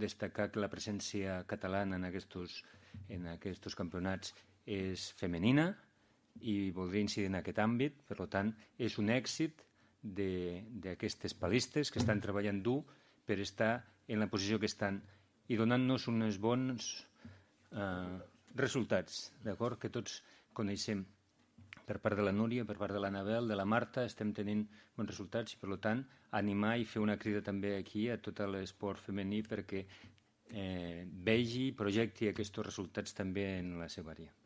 destacar que la presència catalana en aquests campionats és femenina i voldria incidir en aquest àmbit. Per tant, és un èxit d'aquestes palistes que estan treballant dur per estar en la posició que estan i donant-nos uns bons resultats, d'acord? Que tots coneixem. Per part de la Núria, per part de l'Anabel, de la Marta, estem tenint bons resultats i, per tant, animar i fer una crida també aquí a tot l'esport femení perquè vegi i projecti aquests resultats també en la seva àrea.